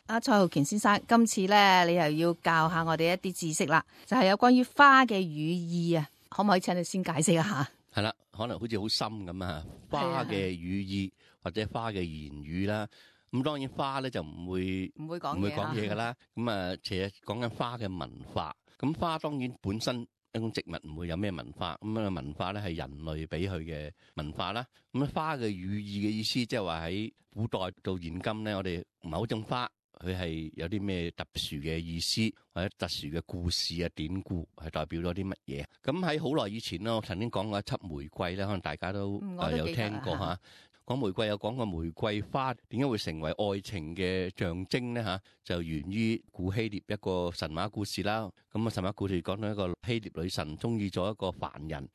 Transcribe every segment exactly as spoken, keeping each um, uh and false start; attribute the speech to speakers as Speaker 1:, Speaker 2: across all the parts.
Speaker 1: 阿蔡浩權先生，今次咧你又要教下我哋一啲知識啦，就係、是、有關於花嘅寓意啊，可唔可以請你先解釋一下？
Speaker 2: 係啦，可能好似好深咁啊，花嘅寓意或者花嘅言語啦。咁當然花咧就唔會
Speaker 1: 唔會講
Speaker 2: 唔會講嘢噶啦。咁啊，其實講緊花嘅文化。咁花當然本身一種植物唔會有咩文化，咁啊文化咧係人類俾佢嘅文化啦。咁花嘅寓意嘅意思，即係話喺古代到現今咧，我哋某種花佢係有啲咩特殊嘅意思，或者特殊嘅故事啊典故，係代表咗啲乜嘢？咁喺好耐以前咯，我曾經講過一輯玫瑰咧，可能大家都、
Speaker 1: 嗯、
Speaker 2: 呃、有聽過嚇。講玫瑰有講過玫瑰花點解會成為愛情嘅象徵咧嚇？就源於古希臘一個神話故事啦。咁啊神話故事講到一個希臘女神中意咗一個凡人，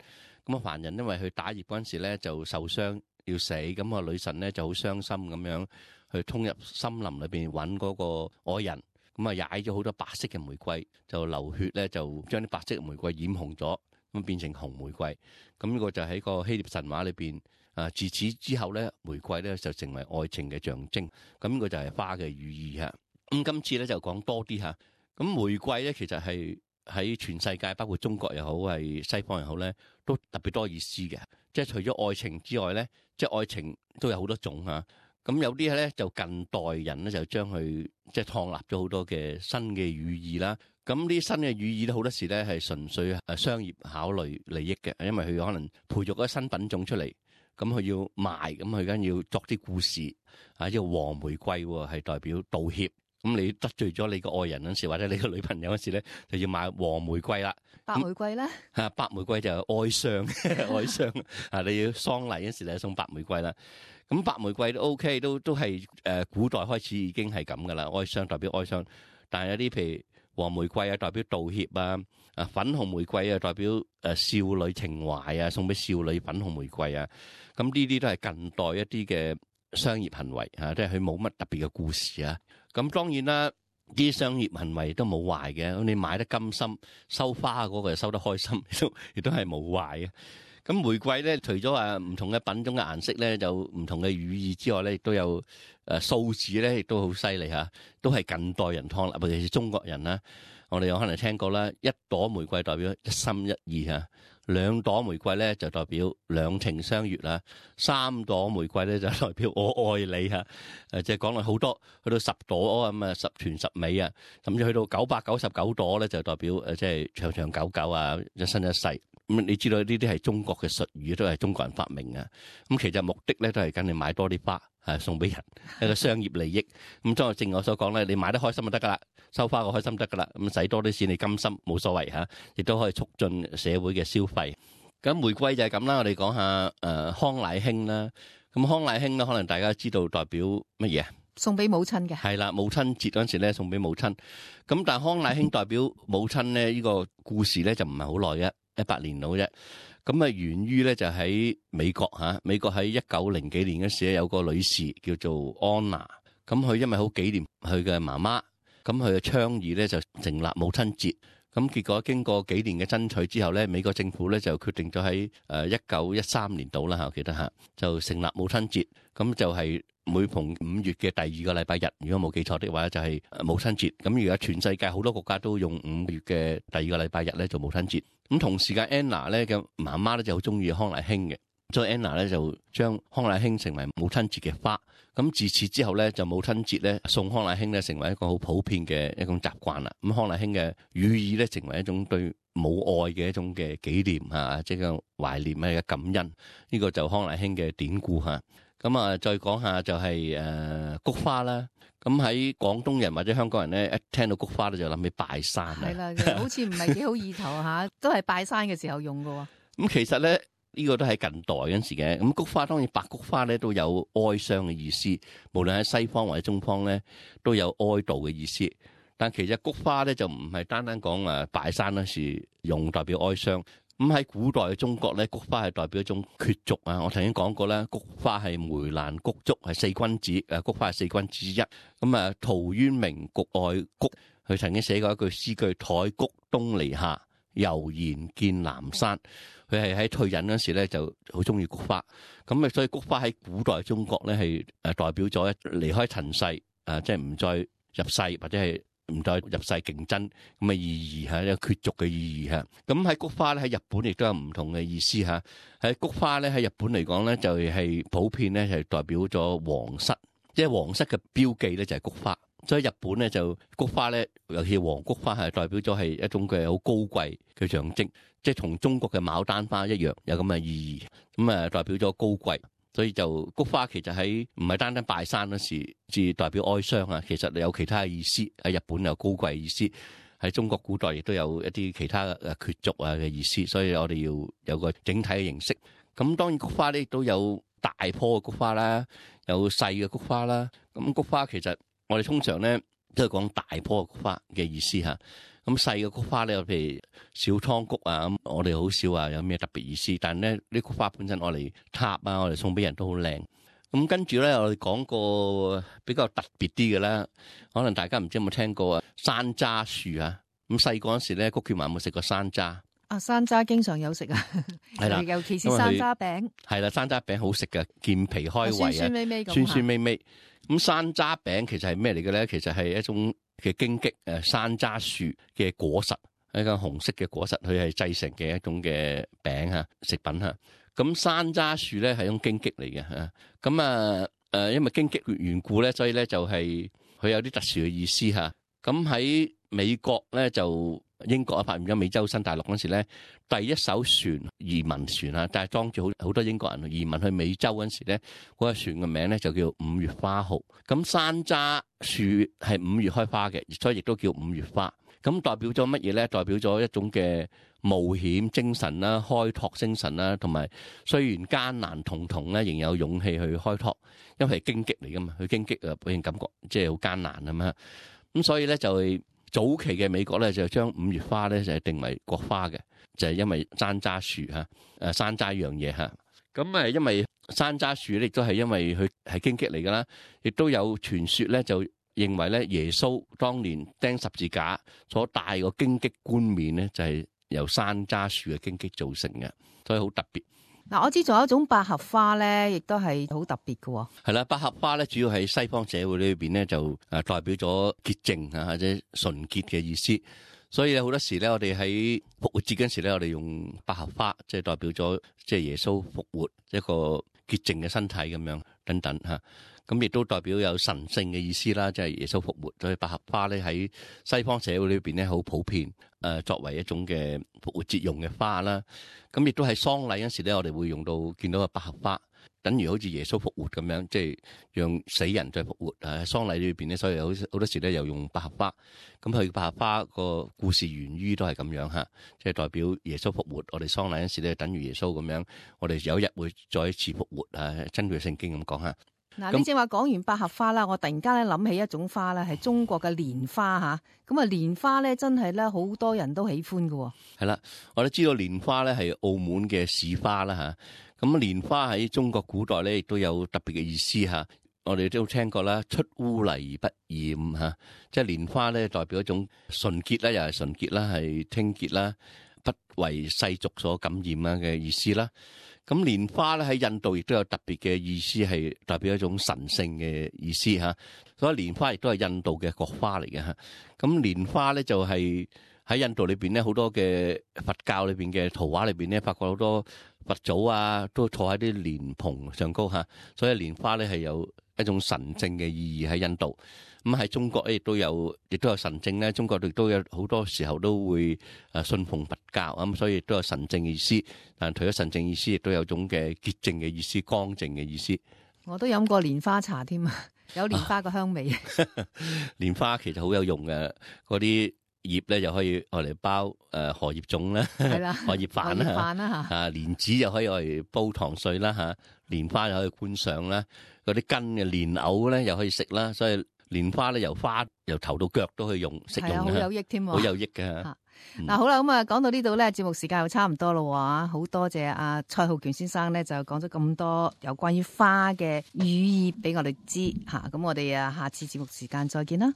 Speaker 2: 咁啊凡人因為佢打獵嗰陣時咧就受傷要死，咁啊女神咧就好傷心咁樣去衝入森林裏邊揾嗰個愛人，咁啊踩咗好多白色嘅玫瑰，就流血咧就將啲白色嘅玫瑰染紅咗，咁變成紅玫瑰。咁呢個就喺個希臘神話裏邊。啊！自此之後咧，玫瑰咧就成為愛情嘅象徵。咁呢個就係花嘅寓意嚇。咁今次咧就講多啲嚇。咁玫瑰咧其實係喺全世界，包括中國又好，係西方又好咧，都特別多意思嘅。即係除咗愛情之外咧，即係愛情都有好多種嚇。咁有啲咧就近代人咧就將佢即係創立咗好多嘅新嘅寓意啦。咁呢啲新嘅寓意咧好多時咧係純粹誒商業考慮利益嘅，因為佢可能培育咗新品種出嚟。咁佢要賣，咁佢梗要作啲故事啊！即係黃玫瑰係代表道歉，咁你得罪咗你個愛人嗰時，或者你個女朋友嗰時咧，就要買黃玫瑰啦。
Speaker 1: 白玫瑰咧
Speaker 2: 嚇，白玫瑰就係哀傷，哀傷啊！你要喪禮嗰時咧送白玫瑰啦。咁白玫瑰都 OK，都都係誒古代開始已經係咁噶啦，哀傷代表哀傷。但係有啲譬如黃玫瑰啊，代表道歉啊。啊，粉紅玫瑰啊，代表誒少女情懷啊，送俾少女粉紅玫瑰啊，咁呢啲都係近代一啲嘅商業行為嚇，即係佢冇乜特別嘅故事啊。咁當然啦，啲商業行為都冇壞嘅，咁你買得甘心，收花嗰個又收得開心，亦都亦都係冇壞嘅。咁玫瑰咧，除咗話唔同嘅品種嘅顏色咧，有唔同嘅寓意之外咧，亦都有誒數字咧，亦都好犀利嚇，都係近代人創立，尤其是中國人啦。我哋有可能聽過啦，一朵玫瑰代表一心一意嚇，兩朵玫瑰咧就代表兩情相悅啦，三朵玫瑰咧就代表我愛你嚇。誒即係講落好多，去到十朵咁啊，十全十美啊，甚至去到九百九十九朵咧就代表誒即係長長久久啊，一生一世。咁你知道呢啲係中國嘅術語，都係中國人發明啊。咁其實目的咧都係跟你買多啲花，係送俾人一個商業利益。咁即係正如我所講咧，你買得開心就得噶啦，收花個開心得噶啦。咁使多啲錢你甘心冇所謂嚇，亦都可以促進社會嘅消費。咁玫瑰就係咁啦。我哋講下誒康乃馨啦。咁康乃馨咧，可能大家知道代表乜嘢啊？
Speaker 1: 送俾母親嘅
Speaker 2: 係啦，母親節嗰陣時咧送俾母親。咁但係康乃馨代表母親咧，呢個故事咧就唔係好耐嘅。一百年到啫，咁啊源於咧就喺美國嚇，美國喺一九零幾年嗰時咧有個女士叫做安娜，咁佢因為好紀念佢嘅媽媽，咁佢嘅倡議咧就成立母親節，咁結果經過幾年嘅爭取之後咧，美國政府咧就決定咗喺誒一九一三年度啦嚇，我記得嚇就成立母親節，咁就係每逢五月嘅第二個禮拜日，如果冇記錯的話就係母親節。咁而家全世界好多國家都用五月嘅第二個禮拜日咧做母親節。咁同時間 Anna 咧嘅媽媽咧就好中意康乃馨嘅，所以 Anna 咧就將康乃馨成為母親節嘅花。咁自此之後咧，就母親節咧送康乃馨咧成為一個好普遍嘅一種習慣啦。咁康乃馨嘅寓意咧成為一種對母愛嘅一種嘅紀念嚇，即係懷念啊嘅感恩。呢、這個就康乃馨嘅典故嚇。咁啊，再講下就係誒菊花啦。咁喺廣東人或者香港人咧，一聽到菊花咧就諗起拜山啊。
Speaker 1: 係啦，好似唔係幾好意頭嚇，都係拜山嘅時候用㗎喎。
Speaker 2: 咁其實咧，呢個都係近代嗰陣時嘅。咁菊花當然白菊花咧都有哀傷嘅意思，無論喺西方或者中方咧都有哀悼嘅意思。但其實菊花咧就唔係單單講誒拜山嗰時用代表哀傷。咁喺古代嘅中國咧，菊花係代表一種決濁啊！我曾經講過啦，菊花係梅蘭菊竹係四君子，誒菊花係四君子之一。咁啊，陶淵明局外菊，佢曾經寫過一句詩句：台菊東籬下，悠然見南山。佢係喺退隱嗰時咧就好中意菊花。咁啊，所以菊花喺古代中國咧係誒代表咗離開塵世，誒即係唔再入世或者係唔再入世競爭咁嘅意義嚇，一個缺俗嘅意義嚇。咁喺菊花咧喺日本亦都有唔同嘅意思嚇。喺菊花咧喺日本嚟講咧就係普遍咧係代表咗皇室，即係皇室嘅標記咧就係菊花。所以日本咧就菊花咧，尤其黃菊花係代表咗係一種嘅好高貴嘅象徵，即係同中國嘅牡丹花一樣有咁嘅意義。咁啊代表咗高貴，所以就菊花其實喺唔係單單拜山嗰時至代表哀傷啊，其實有其他嘅意思。喺日本有高貴嘅意思，喺中國古代亦都有一啲其他嘅缺俗啊嘅意思。所以我哋要有個整體嘅認識。咁當然菊花咧亦都有大棵嘅菊花啦，有細嘅菊花啦。咁菊花其實我哋通常咧都係講大棵菊花嘅意思嚇，咁細嘅菊花咧，譬如小蒼菊啊，咁我哋好少話有咩特別意思。但係咧，啲菊花本身我哋插啊，我哋送俾人都好靚。咁跟住咧，我哋講個比較特別啲嘅啦，可能大家唔知有冇聽過啊，山楂樹啊。咁細個嗰時咧，谷健華有冇食過山楂？
Speaker 1: 啊，山楂經常有食啊，係啦，尤其是山楂餅。係
Speaker 2: 啦，山楂餅好食嘅，健脾開胃啊，
Speaker 1: 酸酸味味咁。
Speaker 2: 酸酸味味。咁山楂餅其實係咩嚟嘅咧？其實係一種嘅荊棘誒山楂樹嘅果實，一個紅色嘅果實，佢係製成嘅一種嘅餅嚇食品嚇。咁山楂樹咧係一種荊棘嚟嘅嚇。咁啊誒，因為荊棘緣故咧，所以咧就係佢有啲特殊嘅意思嚇。咁喺美國咧就英國啊發現咗美洲新大陸嗰時咧，第一艘船移民船啊，但係裝住好好多英國人移民去美洲嗰時咧，嗰個船嘅名咧就叫五月花號。咁山楂樹係五月開花嘅，所以亦都叫五月花。咁代表咗乜嘢咧？代表咗一種嘅冒險精神啦、開拓精神啦，同埋雖然艱難重重咧，仍有勇氣去開拓，因為係荊棘嚟噶嘛，佢荊棘啊俾人感覺即係好艱難啊嘛。咁所以咧就係早期嘅美國咧就將五月花咧就係定為國花嘅，就係因為山楂樹嚇，誒山楂一樣嘢嚇。咁誒因為山楂樹咧亦都係因為佢係荊棘嚟㗎啦，亦都有傳說咧就認為咧耶穌當年釘十字架所戴個荊棘冠冕咧就係由山楂樹嘅荊棘造成嘅，所以好特別。
Speaker 1: 嗱，我知仲有一種百合花咧，亦都係好特別嘅。
Speaker 2: 係啦，百合花咧主要喺西方社會裏邊咧就誒代表咗潔淨啊或者純潔嘅意思，所以好多時咧我哋喺復活節嗰時咧我哋用百合花，即係代表咗即係耶穌復活一個潔淨嘅身體咁樣等等吓。咁亦都代表有神聖嘅意思啦，即係耶穌復活。所以百合花咧喺西方社會裏邊咧好普遍，誒作為一種嘅復活節用嘅花啦。咁亦都喺喪禮嗰時咧，我哋會用到見到個百合花，等於好似耶穌復活咁樣，即係讓死人再復活。誒喪禮裏邊咧，所以好好多時咧又用百合花。咁佢百合花個故事源於都係咁樣嚇，即係代表耶穌復活。我哋喪禮嗰時咧，等於耶穌咁樣，我哋有一日會再一次復活啊！根據聖經咁講嚇。
Speaker 1: 嗱，你正話講完百合花啦，我突然間咧諗起一種花咧，係中國嘅蓮花吓。咁啊，蓮花咧真係咧好多人都喜歡嘅。
Speaker 2: 係啦，我都知道蓮花咧係澳門嘅市花啦吓。咁蓮花喺中國古代咧亦都有特別嘅意思吓。我哋都聽過啦，出污泥而不染吓，即係蓮花咧代表一種純潔啦，又係純潔啦，係清潔啦，不為世俗所感染啊嘅意思啦。咁蓮花咧喺印度亦都有特別嘅意思，係代表一種神聖嘅意思嚇。所以蓮花亦都係印度嘅國花嚟嘅嚇。咁蓮花咧就係喺印度裏邊咧好多嘅佛教裏邊嘅圖畫裏邊咧，發覺好多佛祖啊都坐喺啲蓮蓬上高嚇。所以蓮花咧係有一種神聖嘅意義喺印度。咁喺中國咧亦都有，亦都有神聖咧。中國亦都有好多時候都會誒信奉佛教咁，所以亦都有神聖意思。但除咗神聖意思，亦都有種嘅潔淨嘅意思、乾淨嘅意思。
Speaker 1: 我都飲過蓮花茶添啊，有蓮花個香味。
Speaker 2: 蓮花其實好有用嘅，嗰啲葉咧又可以愛嚟包誒荷葉粽啦，
Speaker 1: 係啦，
Speaker 2: 荷葉飯啦，飯啦嚇。啊，蓮子又可以愛嚟煲糖水啦嚇，蓮花又可以觀賞啦。嗰啲根嘅蓮藕咧又可以食啦，所以。蓮花咧由花由頭到腳都可以用食用嘅，
Speaker 1: 好有益添，
Speaker 2: 好有益嘅。
Speaker 1: 嗱、嗯啊，好啦，咁啊講到呢度咧，節目時間又差唔多咯喎，好多謝阿蔡浩權先生咧，就講咗咁多有關於花嘅寓意俾我哋知嚇，咁我哋啊下次節目時間再見啦。